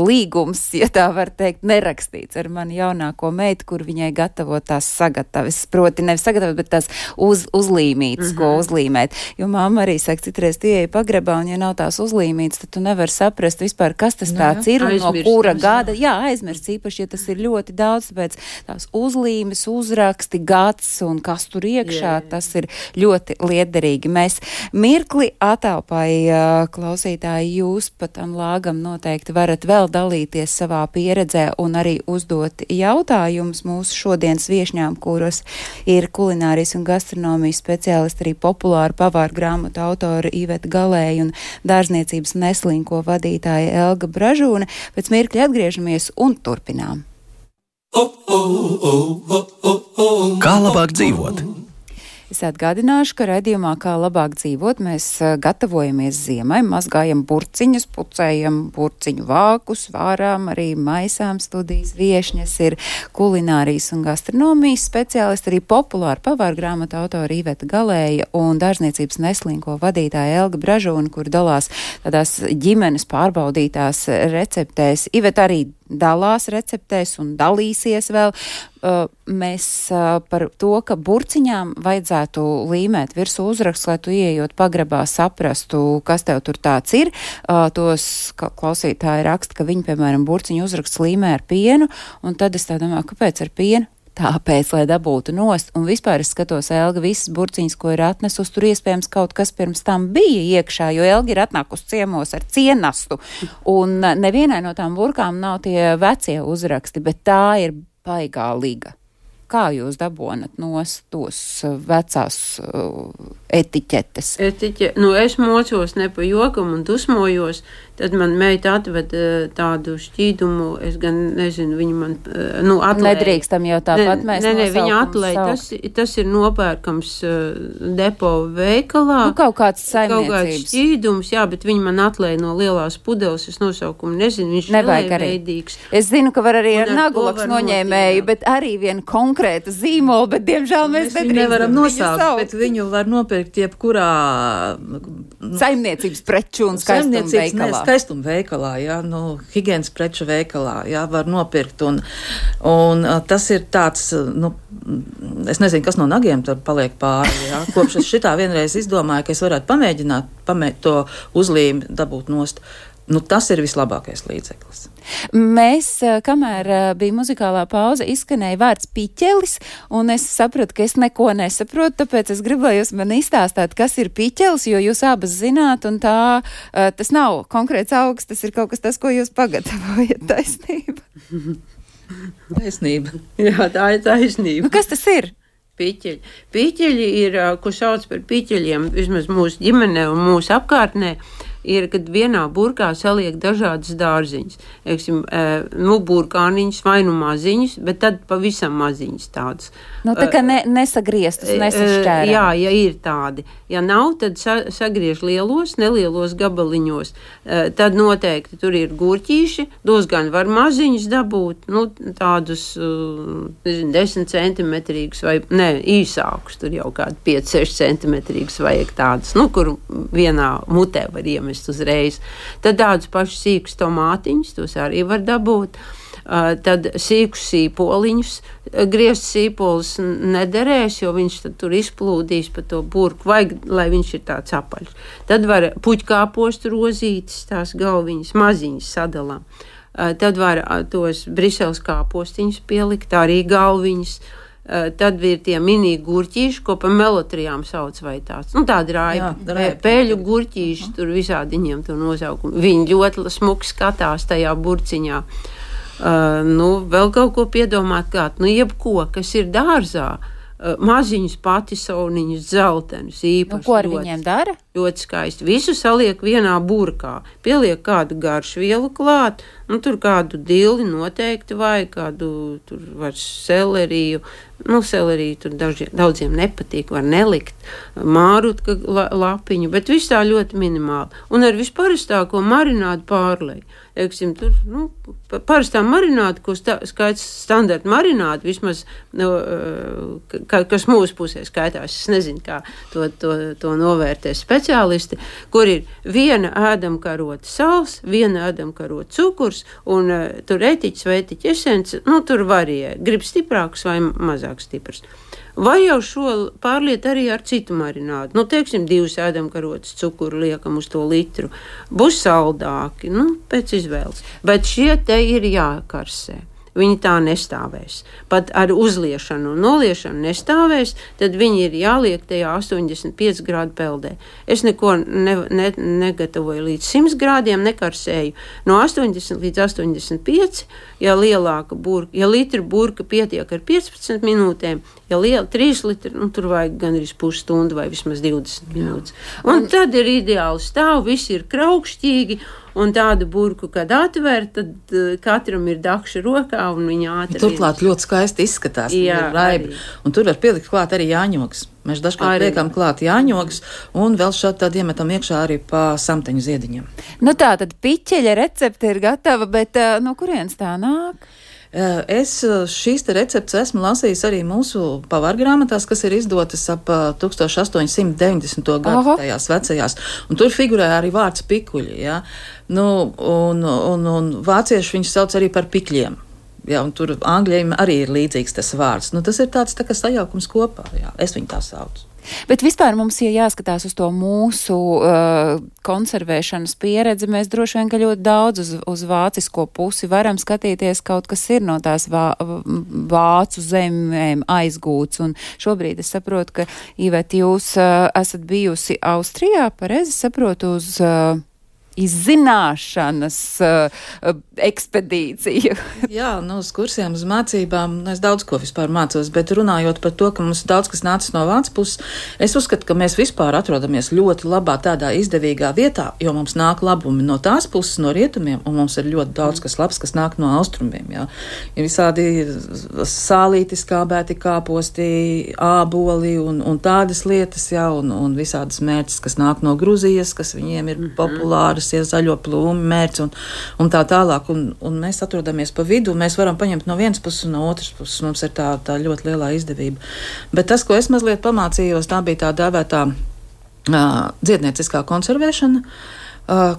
[SPEAKER 2] līgums, ja tā var teikt, nerakstīts ar mani jaunāko meitu, kur viņai gatavo tās sagatavas, proti nevis sagatavas, bet tās uzlīmītas, ko uzlīmēt. Jo māma arī saka, citreiz tu ieeji pagrabā, un ja nav tās uzlīmītas, tad tu nevar saprast vispār, kas tas tāds ir, un no kura gada. Jā, aizmirst īpaši, ja tas ir ļoti daudz, tāpēc tās uzlīmītas, uzraksti, gads un kas tur iekšā, tas ir ļoti liederīgi. Mēs mirkli atāpai, klausītāji, jūs pat tam lāgam noteikti varat vēl dalīties savā pieredzē un arī uzdot jautājumus mūsu šodienas viešņām, kuras ir kulinārijas un gastronomijas speciālisti, arī populāru pavāru grāmatu autori Iveta Galēja un dārzniecības Neslinko vadītāja Elga Bražūne. Pēc mirkļa atgriežamies un turpinām.
[SPEAKER 1] Kā labāk dzīvot?
[SPEAKER 2] Es atgādināšu, ka raidījumā Kā labāk dzīvot mēs gatavojamies ziemai, mazgājam burciņus, pucējam burciņu vākus, vārām, arī maisām. Studijas viešņas ir kulinārijas un gastronomijas speciālisti, arī populāru pavāru grāmatu autori Iveta Galēja un dārzniecības Neslinko vadītāja Elga Bražūne, kur dalās tādās ģimenes pārbaudītās receptēs. Iveta arī dalās receptēs un dalīsies vēl. Mēs par to, ka burciņām vajadzētu līmēt virsū uzraksts, lai tu ieejot pagrabā saprastu, kas tev tur tāds ir. Tos klausītāji raksta, ka viņi, piemēram, burciņu uzraksts līmē ar pienu, un tad es tā domāju, kāpēc ar pienu? Tāpēc, lai dabūtu nost, un vispār es skatos, Elga, visas burciņas, ko ir atnesus, tur iespējams kaut kas pirms tam bija iekšā, jo Elga ir atnākus ciemos ar cienastu, un nevienai no tām burkām nav tie vecie uzraksti, bet tā ir baigā liga. Kā jūs dabonat nost tos vecās etiķetes?
[SPEAKER 3] Es mocos ne pa jokam un dusmojos, tad man meita atved tādu šķīdumu, es gan nezinu, viņa man atlēja.
[SPEAKER 2] Nedrīkstam jau tāpat mēs
[SPEAKER 3] Ne, viņa atlēja, tas ir nopērkams depo veikalā.
[SPEAKER 2] Kaut kāds saimniecības.
[SPEAKER 3] Kaut kāds šķīdums, jā, bet viņa man atlēja no lielās pudeles, es nosaukumu nezinu, viņš nelēveidīgs.
[SPEAKER 2] Es zinu, ka var arī ar nagulaks noņēmēju, bet arī vienu konkrētu zīmolu, bet diemžēl mēs
[SPEAKER 4] nevaram nosaukt, bet viņu var nopirkt jebkurā
[SPEAKER 2] saimniecības preču un skaistuma veikalā.
[SPEAKER 4] Skaistuma veikalā, jā, higienas preču veikalā, jā, var nopirkt, un tas ir tāds, es nezinu, kas no nagiem tur paliek pāri, jā, kopš es šitā vienreiz izdomāju, ka es varētu pamēģināt to uzlīmi dabūt nost. Tas ir vislabākais līdzeklis.
[SPEAKER 2] Mēs, kamēr bija muzikālā pauze, izskanēja vārds piķelis, un es sapratu, ka es neko nesaprotu, tāpēc es gribu, lai jūs man izstāstāt, kas ir piķelis, jo jūs abas zināt, un tas nav konkrēts augs, tas ir kaut kas tas, ko jūs pagatavojat. Taisnība.
[SPEAKER 4] Taisnība.
[SPEAKER 3] Jā, tā ir taisnība.
[SPEAKER 2] Kas tas ir?
[SPEAKER 3] Piķeļi. Piķeļi ir, ko sauc par piķeļiem, vismaz mūsu ģimenē un mūsu apkārtnē, ir, kad vienā burkā saliek dažādas dārziņas. Burkāniņas vai maziņas, bet tad pavisam maziņas tādas.
[SPEAKER 2] Tā kā nesagrieztas, nesašķērē.
[SPEAKER 3] Jā, ja ir tādi. Ja nav, tad sagriež nelielos gabaliņos. Tad noteikti tur ir gurķīši, dos gan var maziņas dabūt, tādus 10 centimetrīgus vai īsākus, tur jau kādi 5-6 centimetrīgus vajag tādus, kur vienā mutē var iemest uzreiz. Tad tādus pašus sīkus tomātiņus, tos arī var dabūt. Tad sīkus sīpoliņus, griezt sīpolis nederēs, jo viņš tad tur izplūdīs pa to burku, vajag, lai viņš ir tāds apaļš. Tad var puķkāpostu rozītes, tās galviņas, maziņas sadalām. Tad var tos briseles kāpostiņus pielikt, arī galviņas. tad ir tie mini gurķīši, ko pa melotrijām sauc vai tāds. Nu, tādi pēļu gurķīši, tur visādi viņiem to nosaukumu. Viņi ļoti smuki skatās tajā burciņā. Vēl kaut ko piedomāt klāt. Jebko, kas ir dārzā, maziņus patisauniņus, dzeltenus īpaši.
[SPEAKER 2] Ko ar viņiem dara?
[SPEAKER 3] Ļoti skaisti. Visu saliek vienā burkā. Pieliek kādu garšvielu klāt, tur kādu dili noteikti vai kādu tur var seleriju. Seleriju tur daudziem nepatīk, var nelikt mārutka lapiņu, bet viss tā ļoti minimāli. Un ar visparastāko marinādu pārlej. Teiksim, tur, parastā marināda, ko skaits standarta marināda, vismaz, kas mūsu pusē skaitās, es nezinu, kā to novērtē speciālisti, kur ir viena ēdamkarota sals, viena ēdamkarota cukurs, un tur etiķis vai etiķa esence, tur varie, grib stiprāks vai mazāk stiprs. Vai jau šo pārliet arī ar citu marinādu. Teiksim, 2 ēdamkarotes cukuru liekam uz to litru. Būs saldāki, pēc izvēles. Bet šie te ir jākarsē. Viņi tā nestāvēs. Pat ar uzliešanu un noliešanu nestāvēs, tad viņi ir jāliek tajā 85 grādu peldē. Es neko negatavoju līdz 100 grādiem, nekarsēju. No 80 līdz 85, ja lielāka burka, ja litra burka pietiek ar 15 minūtēm, ja 3 litri, tur vajag gan arī pusstundu vai vismaz 20 minūtes. Un tad ir ideāli stāv, viss ir kraukšķīgi, un tādu burku, kad atver, tad katram ir dakša rokā, un viņa ātri.
[SPEAKER 4] Turklāt ļoti skaisti izskatās.
[SPEAKER 3] Jā,
[SPEAKER 4] raibi. Un tur var pielikt klāt arī jāņogas. Mēs dažkārt liekam klāt jāņogas, un vēl šādi tad iemetam iekšā arī pa samteņu ziediņiem.
[SPEAKER 2] Tā tad piķeļa recepte ir gatava, bet no kurienes tā nāk?
[SPEAKER 4] Es šīs te receptes esmu lasījis arī mūsu pavargrāmatās, kas ir izdotas ap 1890. gadu tajās vecajās, un tur figurē arī vārds pikuļi, ja? Un vācieši viņus sauc arī par pikļiem. Jā, un tur angļiem arī ir līdzīgs tas vārds. Tas ir tāds tā kā sajaukums kopā, jā, es viņu tā saucu.
[SPEAKER 2] Bet vispār mums, ja jāskatās uz to mūsu konservēšanas pieredzi, mēs droši vien, ka ļoti daudz uz vācisko pusi varam skatīties, kaut kas ir no tās vācu zemēm aizgūts. Un šobrīd es saprotu, ka, Iveta, jūs esat bijusi Austrijā, pareizi saprotu, uz izzināšanas ekspedīciju.
[SPEAKER 4] Jā, uz kursiem, uz mācībām, es daudz ko vispār mācos, bet runājot par to, ka mums daudz kas nācis no vācu puses, es uzskatu, ka mēs vispār atrodamies ļoti labā tādā izdevīgā vietā, jo mums nāk labumi no tās puses, no rietumiem, un mums ir ļoti daudz kas labs, kas nāk no austrumiem, jā. Ir visādi sālīti, skābēti kāposti, āboli un tādas lietas, jā, un visādas mērķis, kas nāk no Gruzijas, kas viņiem ir populāras, zaļo plūmi, mērķi un tā tālāk. Un mēs atrodamies pa vidu, mēs varam paņemt no vienas puses un no otras puses. Mums ir tā ļoti lielā izdevība. Bet tas, ko es mazliet pamācījos, tā bija tā dēvētā dziednieciskā konservēšana,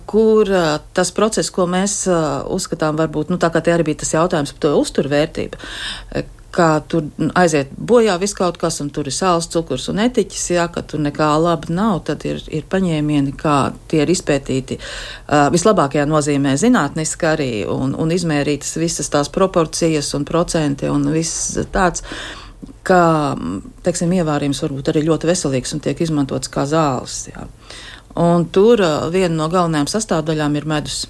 [SPEAKER 4] kur tas process, ko mēs uzskatām varbūt, tā kā te arī bija tas jautājums par to uzturvērtību, kā tur aiziet bojā viss kaut kas, un tur ir sāls, cukurs un etiķis, jā, ka tur nekā laba nav, tad ir paņēmieni, kā tie ir izpētīti vislabākajā nozīmē zinātniski arī, un izmērītas visas tās proporcijas un procenti un viss tāds, kā, teiksim, ievārījums varbūt arī ļoti veselīgs un tiek izmantots kā zāles, jā. Un tur viena no galvenajām sastāvdaļām ir medus.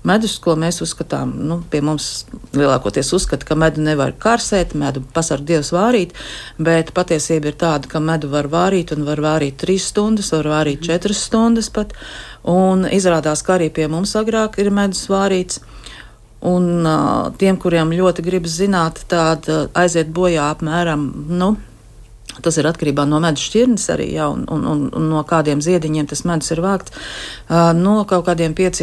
[SPEAKER 4] Medus, ko mēs uzskatām, pie mums lielākoties uzskata, ka medu nevar karsēt, medu pasarg Dievs vārīt, bet patiesība ir tāda, ka medu var vārīt un var vārīt 3 stundas, var vārīt 4 stundas pat, un izrādās, ka arī pie mums agrāk ir medus vārīts, un tiem, kuriem ļoti gribas zināt, tāda aiziet bojā apmēram, tas ir atkarībā no medus šķirnes arī, jā, un no kādiem ziediņiem tas medus ir vākts, no kaut kādiem 5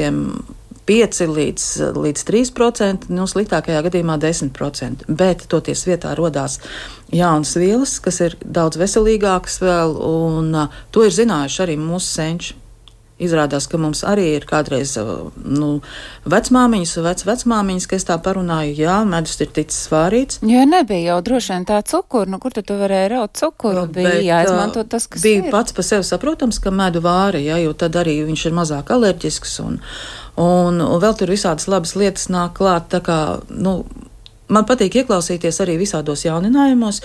[SPEAKER 4] līdz 3%, sliktākajā gadījumā 10%, bet toties vietā rodās jaunas vielas, kas ir daudz veselīgākas vēl, un to ir zinājuši arī mūsu senči. Izrādās, ka mums arī ir kādreiz vecmāmiņas un vecmāmiņas, ka es tā parunāju, jā, medus ir ticis vārīts.
[SPEAKER 2] Jā, nebija jau droši vien tā cukuru, kur tu varēji raut cukuru, bija jāizmanto tas, kas
[SPEAKER 4] bija ir. Pats pa sevi saprotams, ka medu vāri, jā, jo tad arī viņš ir mazāk alerģisks un vēl tur visādas labas lietas nāk klāt, tā kā, Man patīk ieklausīties arī visādos jauninājumos,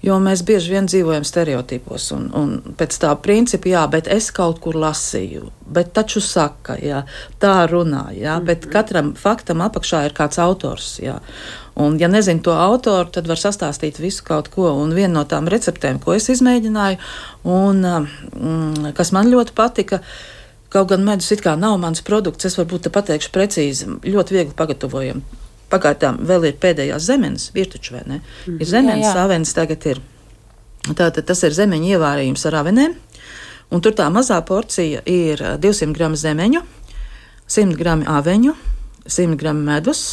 [SPEAKER 4] jo mēs bieži vien dzīvojam stereotipos un pēc tā principa, jā, bet es kaut kur lasīju, bet taču saka, jā, tā runā, jā, bet katram faktam apakšā ir kāds autors, jā. Un, ja nezinu to autoru, tad var sastāstīt visu kaut ko. Un viena no tām receptēm, ko es izmēģināju, un kas man ļoti patika, kaut gan medus it kā nav mans produkts, es varbūt te pateikšu precīzi, ļoti viegli pagatavojam. Pagaidām vēl ir pēdējās zemenes, ir taču, vai ne? Ir zemenes, avenes tagad ir. Tātad tas ir zemeņu ievārījums ar avenēm, un tur tā mazā porcija ir 200 gramu zemeņu, 100 gramu aveņu, 100 gramu medus,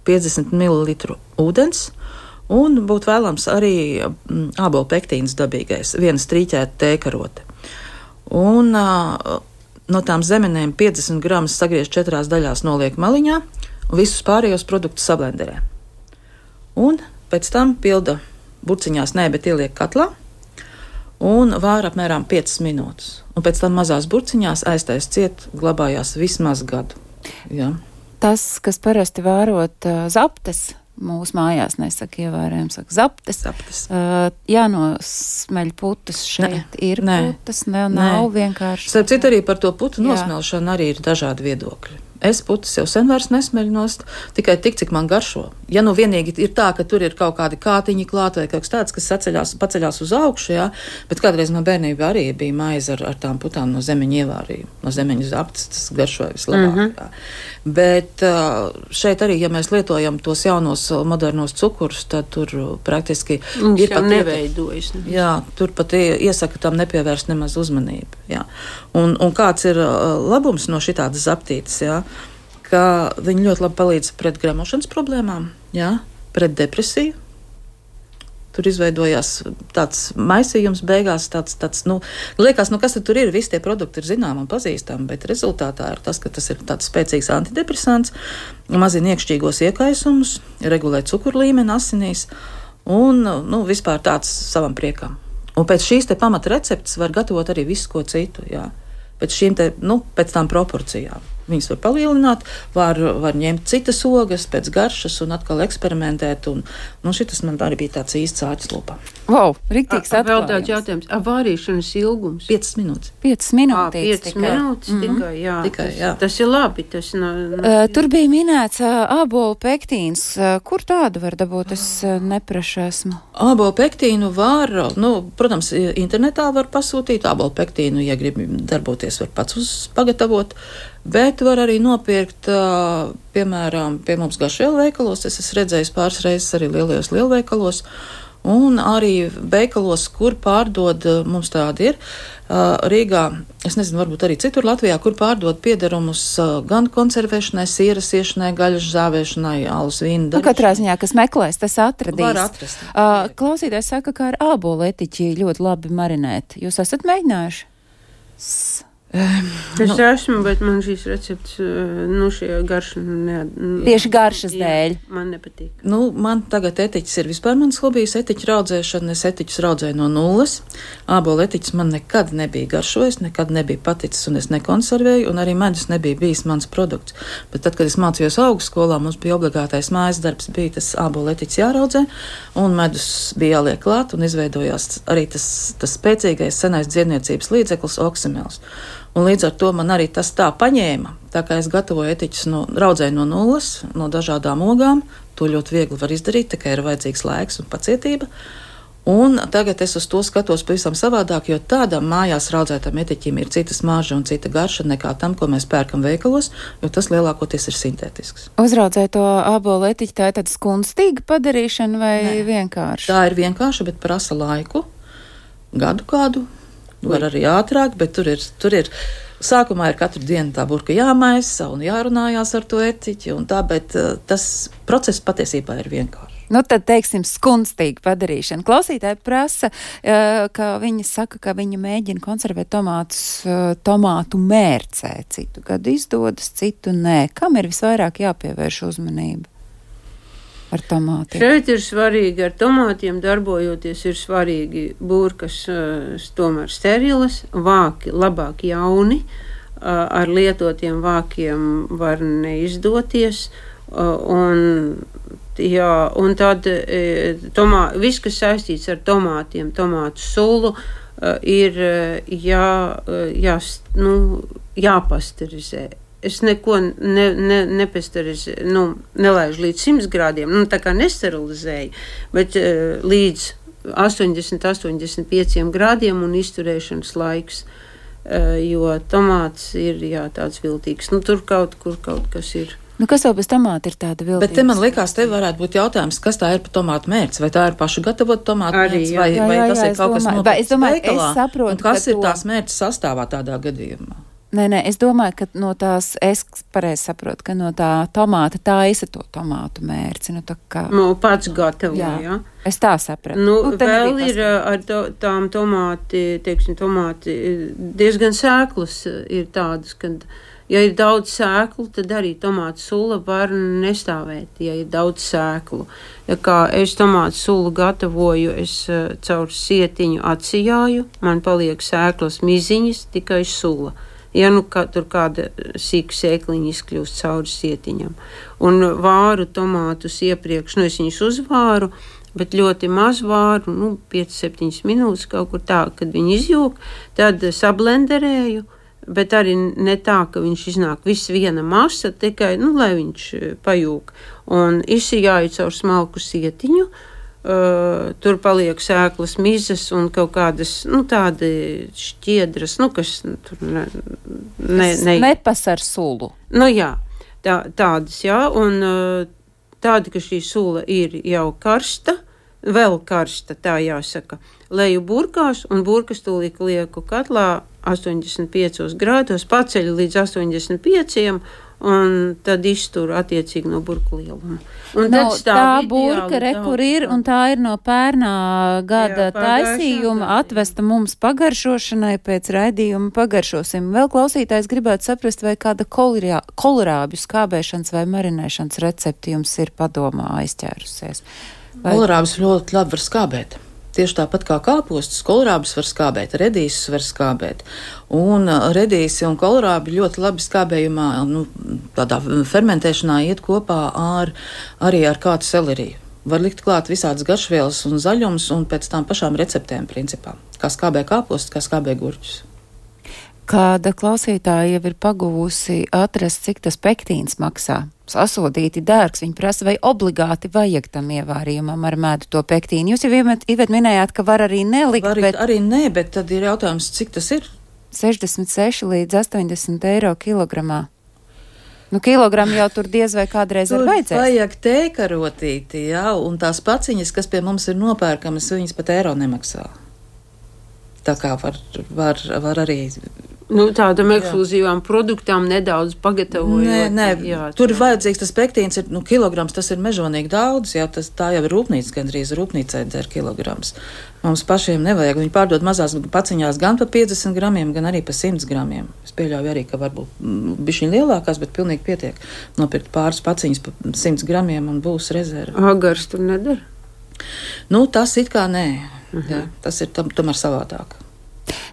[SPEAKER 4] 50 ml ūdens, un būtu vēlams arī ābolu pektīns dabīgais, viena strīķēta tēkarote. Un no tām zemenēm 50 gramus sagriež 4 daļās, noliek maliņā, un visus pārējos produktus sablenderē. Un pēc tam pilda burciņās, bet ieliek katlā un vāra apmēram 5 minūtes. Un pēc tam mazās burciņās aiztais ciet, glabājās vismaz gadu. Jā.
[SPEAKER 2] Tas, kas parasti vārot zaptes, mūsu mājās nesaka ievērējums, saka zaptes. Jānosmeļ putas šeit. Ir putas, nav vienkārši.
[SPEAKER 4] Starp citu arī par to putu nosmelšanu arī ir dažādi viedokļi. Es putas jau sen vairs nesmeļu nost, tikai tik, cik man garšo. Ja nu vienīgi ir tā, ka tur ir kaut kādi kātiņi klāt vai kaut kas tāds, kas paceļās uz augšu, jā, bet kādreiz man bērnībā arī bija maize ar tām putām no zemeņa ievārījuma, no zemeņa zaptes, tas garšoja vislabāk. Bet šeit arī, ja mēs lietojam tos jaunos modernos cukurus, tad tur praktiski ir pat
[SPEAKER 3] neveidojas.
[SPEAKER 4] Jā, tur pat iesaka tam nepievērst nemaz uzmanību. Jā. Un kāds ir labums no šitādas zaptītes, jā? Ka viņi ļoti labi palīdz pret gremošanas problēmām, jā, pret depresiju. Tur izveidojās tāds maisījums beigās, tāds, liekas, kas tad tur ir, visi tie produkti ir zināmi un pazīstami, bet rezultātā ir tas, ka tas ir tāds spēcīgs antidepresants, mazina iekšķīgos iekaisumus, regulē cukuru līmeni asinīs un, vispār tāds savam priekam. Un pēc šīs te pamata receptes var gatavot arī visu ko citu, jā. Pēc šīm te, pēc tām proporcijām. Viņas var palielināt, var ņemt citas ogas pēc garšas un atkal eksperimentēt. Šitas man arī bija tāds īsts āķis lopā.
[SPEAKER 2] Wow, riktīgs atklājums.
[SPEAKER 3] Vēl tāds jautājums. Vārīšanas ilgums?
[SPEAKER 4] 5 minūtes.
[SPEAKER 2] 5 minūtes
[SPEAKER 3] tikai, jā.
[SPEAKER 4] Tikai, jā.
[SPEAKER 3] Tas ir labi.
[SPEAKER 2] Tur bija minēts ābolu pektīns. Kur tādu var dabūt? Es neprašu esmu.
[SPEAKER 4] Ābolu pektīnu var, protams, internetā var pasūtīt. Ābolu pektīnu, ja grib darboties, var pats pagatavot. Bet var arī nopirkt, piemēram, pie mums Garšvielu veikalos. Es esmu redzējis pāris reizes arī lielajos lielveikalos. Un arī veikalos, kur pārdod, mums tādi ir, Rīgā, es nezinu, varbūt arī citur Latvijā, kur pārdod piederumus gan konservēšanai, sieras iešanai, gaļas žāvēšanai, alus vīnu darīšanai.
[SPEAKER 2] Katrā ziņā, kas meklēs, tas atradīs.
[SPEAKER 4] Var atrast.
[SPEAKER 2] Klausītājs saka, ka ar ābolu etiķi ļoti labi marinēt. Jūs esat mēģinājuši?
[SPEAKER 3] Es esmu, bet man šīs receptes, šie garša
[SPEAKER 2] tieši garšas dēļ.
[SPEAKER 3] Man nepatīk.
[SPEAKER 4] Man tagad etiķis ir vispār mans hobijs, etiķu raudzēšana. Es etiķus raudzēju no nulles. Ābolu etiķis man nekad nebija garšojis, nekad nebija paticis, un es nekonservēju, un arī medus nebija bijis mans produkts. Bet tad, kad es mācījos augstskolā, mums bija obligātais mājas darbs, bija tas ābolu etiķis jāraudzē, un medus bija jāliek klāt, un izveidojās arī tas spēcīgais senais dziedniecības līdzeklis oksimels. Un līdz ar to man arī tas tā paņēma, tā kā es gatavoju etiķus raudzēju no nulles, no dažādām ogām. To ļoti viegli var izdarīt, tikai ir vajadzīgs laiks un pacietība. Un tagad es uz to skatos pavisam savādāk, jo tādam mājās raudzētam etiķim ir cita smarža un cita garša nekā tam, ko mēs pērkam veikalos, jo tas lielākoties ir sintētisks.
[SPEAKER 2] Uzraudzēt to ābolu etiķi, tā ir tāda skunstīga padarīšana vai vienkārši?
[SPEAKER 4] Tā ir vienkārša, bet prasa laiku, gadu kādu. Var arī ātrāk, bet tur ir sākumā ir katru dienu tā burka jāmaisa un jārunājās ar to etiķi un tā, bet tas process patiesībā ir vienkārši.
[SPEAKER 2] Tad, teiksim, skunstīga padarīšana. Klausītāji prasa, ka viņi saka, ka viņi mēģina konservēt tomātu mērcē. Citu gadu izdodas, citu nē. Kam ir visvairāk jāpievērš uzmanība? Ar tomātiem.
[SPEAKER 3] Šeit ir svarīgi, ar tomātiem darbojoties, ir svarīgi burkas tomēr sterilas, vāki labāk jauni, ar lietotiem vākiem var neizdoties, Un tad viss, kas saistīts ar tomātiem, tomātu sulu, ir jāpasterizē. Es neko nelaižu līdz 100 grādiem, tā kā nesterilizēju, bet līdz 80-85 grādiem un izturēšanas laiks, jo tomāts ir tāds viltīgs. Tur kaut kas ir.
[SPEAKER 2] Kas vēl bez tomāta ir tāda viltīga?
[SPEAKER 4] Bet te man likās, te varētu būt jautājums, kas tā ir par tomātu mērci? Vai tā ir pašu gatavot tomātu mērci, vai tas ir kaut kas nopirkts veikalā? Un kas ir tās mērķis sastāvā tādā gadījumā?
[SPEAKER 2] Nē, es domāju, ka no tās, es pareizi saprotu, ka no tā tomāta taisa to tomātu mērci.
[SPEAKER 3] Pats gatavo, jā.
[SPEAKER 2] Es tā sapratu.
[SPEAKER 3] Vēl ir ar tām tomāti diezgan sēklas ir tādas, kad, ja ir daudz sēklu, tad arī tomātu sula var nestāvēt, ja ir daudz sēklu. Ja kā es tomātu sulu gatavoju, es caur sietiņu atsijāju, man paliek sēklas miziņas, tikai sula. Ja tur kāda sīka sēkliņa izkļūst cauri sietiņam. Un vāru tomātus iepriekš, es viņus uzvāru, bet ļoti maz vāru, 5-7 minūtes kaut kur tā, kad viņi izjūg, tad sablenderēju, bet arī ne tā, ka viņš iznāk viss viena masa, tikai, lai viņš pajūg. Un izsijāju caur smalku sietiņu, tur paliek sēklas mizas un kaut kādas, tādi šķiedras, kas tur
[SPEAKER 2] nepas ar sulu.
[SPEAKER 3] Jā, tādas, jā, un tāda, ka šī sula ir jau karsta, vēl karsta, tā jāsaka, leju burkās, un burkas tūlīt lieku katlā 85 grādos, paceļu līdz 85, un tad izturu attiecīgi no burku lieluma.
[SPEAKER 2] Tā burka, kur ir, un tā ir no pērnā gada taisījuma, atvesta mums pagaršošanai, pēc raidījuma pagaršosim. Vēl klausītājs gribētu saprast, vai kāda kolerābju skābēšanas vai marinēšanas recepti jums ir padomā aizķērusies.
[SPEAKER 4] Kolerābus ļoti labi var skābēt. Tieši tāpat kā kāpostus, kolerābus var skābēt, redīsus var skābēt. Un redīsi un kolerābi ļoti labi skābējumā, tādā fermentēšanā iet kopā arī ar kādu seleriju. Var likt klāt visādas garšvielas un zaļums un pēc tām pašām receptēm principā. Kā skābē kāpostus, kā skābē gurķus.
[SPEAKER 2] Kāda klausītāja jau ir paguvusi atrast, cik tas pektīns maksā. Sasodīti dārgs, viņi prasa, vai obligāti vajag tam ievārījumam ar medu to pektīnu. Jūs jau Ivet minējāt, ka var arī nelikt,
[SPEAKER 4] bet tad ir jautājums, cik tas ir?
[SPEAKER 2] 66 līdz 80 eiro kilogramā. Kilogramu jau tur diez vai kādreiz ir vajadzēs.
[SPEAKER 4] Tur vajag tēkarotīti, jā, un tās paciņas, kas pie mums ir nopērkamas, viņas pat eiro nemaksā. Tā kā var arī...
[SPEAKER 3] Tādam ekskluzīvām produktām nedaudz pagatavojot.
[SPEAKER 4] Nē, tur ir vajadzīgs tas pektīns, kilograms, tas ir mežonīgi daudz, jā, tā jau ir rūpnīca, gandrīz rūpnīcai dzer kilograms. Mums pašiem nevajag, viņi pārdod mazās paciņās gan pa 50 gramiem, gan arī pa 100 gramiem. Es pieļauju arī, ka varbūt bišķiņ lielākās, bet pilnīgi pietiek nopirkt pāris paciņas pa 100 gramiem un būs rezerve.
[SPEAKER 3] Agars tur nedara?
[SPEAKER 4] Tas it kā nē, jā, tas ir tomēr savādāk.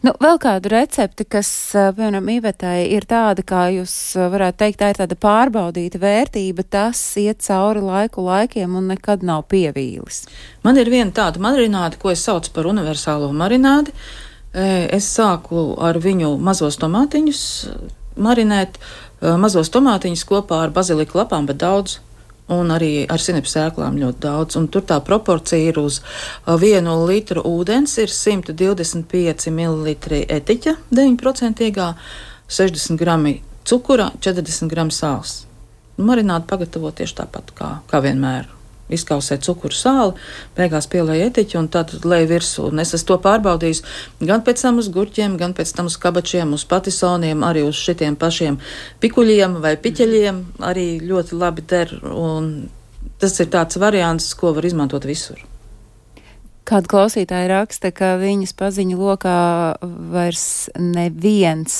[SPEAKER 2] Vēl kādu recepti, kas, piemēram, Ivetai ir tāda, kā jūs varētu teikt, tā ir tāda pārbaudīta vērtība, tas iet cauri laikiem un nekad nav pievīlis.
[SPEAKER 4] Man ir viena tāda marināde, ko es saucu par universālo marinādi. Es sāku ar viņu mazos tomātiņus marinēt, mazos tomātiņus kopā ar baziliku lapām, bet daudz. Un arī ar sinepu sēklām ļoti daudz. Un tur tā proporcija ir uz 1 litru ūdens, ir 125 ml etiķa, 9%, 60 grami cukura, 40 grami sāls. Marinādi pagatavo tieši tāpat kā vienmēr. Izkausē cukuru sāli, beigās pielēja etiķi un tad lej virsū. Un es esmu to pārbaudījis gan pēc tam uz gurķiem, gan pēc tam uz kabačiem, uz patisoniem, arī uz šitiem pašiem pikuļiem vai piķeļiem. Arī ļoti labi der, un tas ir tāds variants, ko var izmantot visur.
[SPEAKER 2] Kāda klausītāja raksta, ka viņas paziņu lokā vairs neviens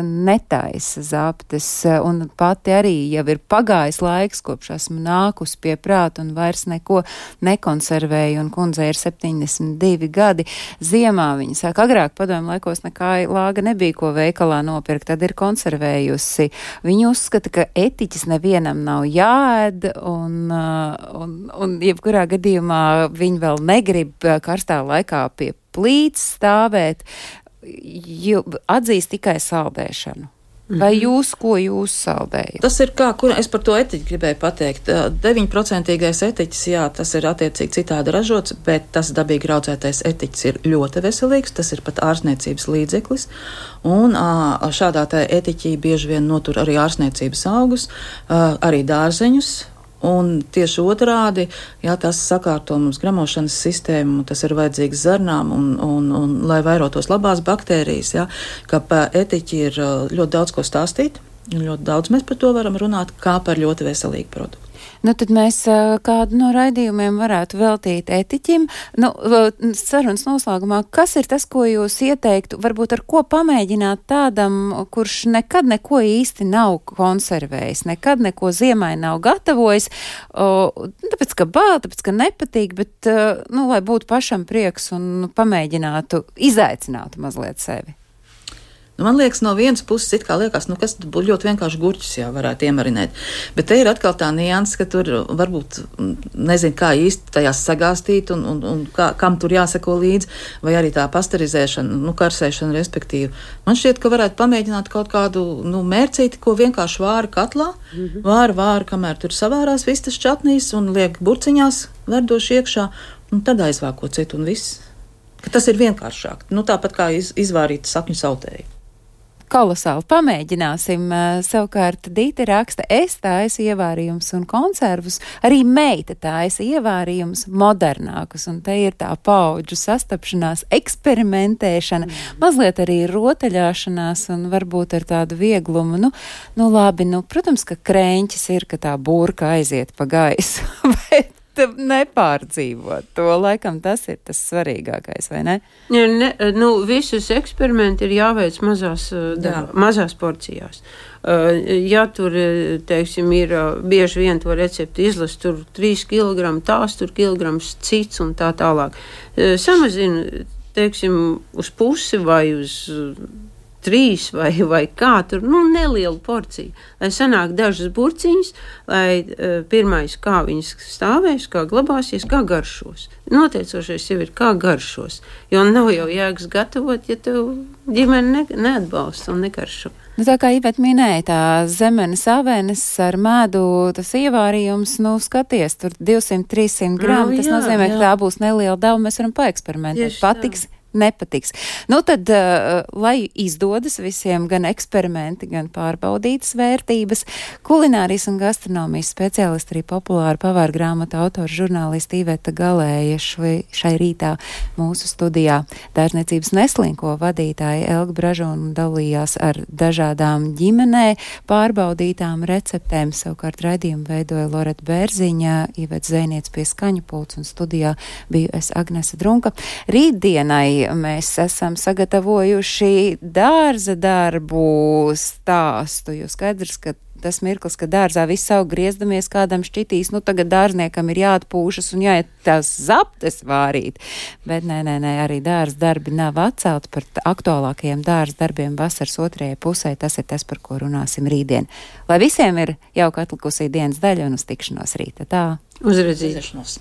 [SPEAKER 2] netaisa zaptes, un pati arī jau ir pagājis laiks, kopš esmu nākus pie prāta un vairs neko nekonservēju, un kundzei ir 72 gadi. Ziemā viņa saka, agrāk padomju laikos nekā lāga nebija, ko veikalā nopirkt, tad ir konservējusi. Viņa uzskata, ka etiķis nevienam nav jāēd, un jebkurā gadījumā viņa vēl negrib karstā laikā pie plīts stāvēt, atzīst tikai saldēšanu. Vai ko jūs saldējat?
[SPEAKER 4] Tas ir es par to etiķi gribēju pateikt. 9% etiķis, jā, tas ir attiecīgi citādi ražots, bet tas dabīgi audzētais etiķis ir ļoti veselīgs, tas ir pat ārstniecības līdzeklis, un šādā tā etiķī bieži vien notur arī ārstniecības augus, arī dārzeņus. Un tieši otrādi, ja tas sakārto mums gramošanas sistēmu, tas ir vajadzīgs zarnām un lai vairotos labās baktērijas, ja, ka pa etiķi ir ļoti daudz ko stāstīt, un ļoti daudz mēs par to varam runāt, kā par ļoti veselīgu produktu.
[SPEAKER 2] Nu, tad mēs kādu no raidījumiem varētu veltīt etiķim. Nu, sarunas noslēgumā, kas ir tas, ko jūs ieteiktu, varbūt ar ko pamēģināt tādam, kurš nekad neko īsti nav konservējis, nekad neko ziemai nav gatavojis, tāpēc, ka bāl, tāpēc, ka nepatīk, bet, lai būtu pašam prieks un pamēģinātu, izaicinātu mazliet sevi.
[SPEAKER 4] Man liekas, no vienas puses it kā liekas, kas būtu ļoti vienkārši gurķus jau varētu iemarinēt. Bet te ir atkal tā nianses, ka tur varbūt nezinu, kā īsti tajās sagāstīt un kam tur jāseko līdzi, vai arī tā pasterizēšana, karsēšana respektīvi. Man šķiet, ka varētu pamēģināt kaut kādu mērcīti, ko vienkārši vāra katlā, vāra, kamēr tur savārās vistas čatnīs un liek burciņās verdoši iekšā, un tad aizvāko citu un viss. Ka tas ir vienkāršāk. Tāpat kā izvārīt sakņu sautēju.
[SPEAKER 2] Kolosāli pamēģināsim. Savukārt Dīte raksta, es taisu ievārījumus un konservus, arī meita taisa ievārījumus modernākus, un te ir tā paudžu sastapšanās, eksperimentēšana, mazliet arī rotaļāšanās un varbūt ar tādu vieglumu. Labi, protams, ka krēņķis ir, ka tā burka aiziet pa gaisu, bet nepārdzīvot to, laikam tas ir tas svarīgākais, vai ne?
[SPEAKER 3] Visus eksperimenti ir jāveic mazās porcijās. Ja tur, teiksim, ir bieži vien to recepti izlast, tur 3 kg, tās tur kilograms cits un tā tālāk. Samazina, teiksim, uz pusi vai uz 3 vai kā tur, nelielu porciju, lai sanāk dažas burciņas, lai pirmais, kā viņas stāvēs, kā glabāsies, kā garšos. Noteicošais jau ir, kā garšos, jo nav jau jēgas gatavot, ja tev ģimene neatbalsta un negaršo.
[SPEAKER 2] Tā kā Iveta minēja, tā zemenes avenes ar medu, tas ievārījums, skaties, tur 200-300 gramu, tas nozīmē, ka tā būs neliela dava, mēs varam paeksperimentēt, patiks. Nepatiks. Tad, lai izdodas visiem gan eksperimenti, gan pārbaudītas vērtības, kulinārijas un gastronomijas speciālisti, arī populāra pavāra grāmatu autora žurnālista Iveta Galēja šai rītā mūsu studijā. Dārzniecības Neslinko vadītāja Elga Bražona dalījās ar dažādām ģimenē pārbaudītām receptēm. Savukārt raidījumu veidoja Loreta Bērziņa, Iveta Zēniec pie skaņu pults un studijā biju es Agnese Drunka. Rītdienai mēs esam sagatavojuši dārza darbu stāstu, jo skaidrs, ka tas mirklis, ka dārzā viss aug griezdamies, kādam šķitīs, tagad dārzniekam ir jāatpūšas un jāiet tās zaptes vārīt. Bet nē, arī dārza darbi nav atcelti par aktuālākajiem dārza darbiem vasaras otrajai pusē. Tas ir tas, par ko runāsim rītdien. Lai visiem ir jauka atlikusī dienas daļa un uz tikšanos rīta. Tā.
[SPEAKER 3] Uzredzīšanos.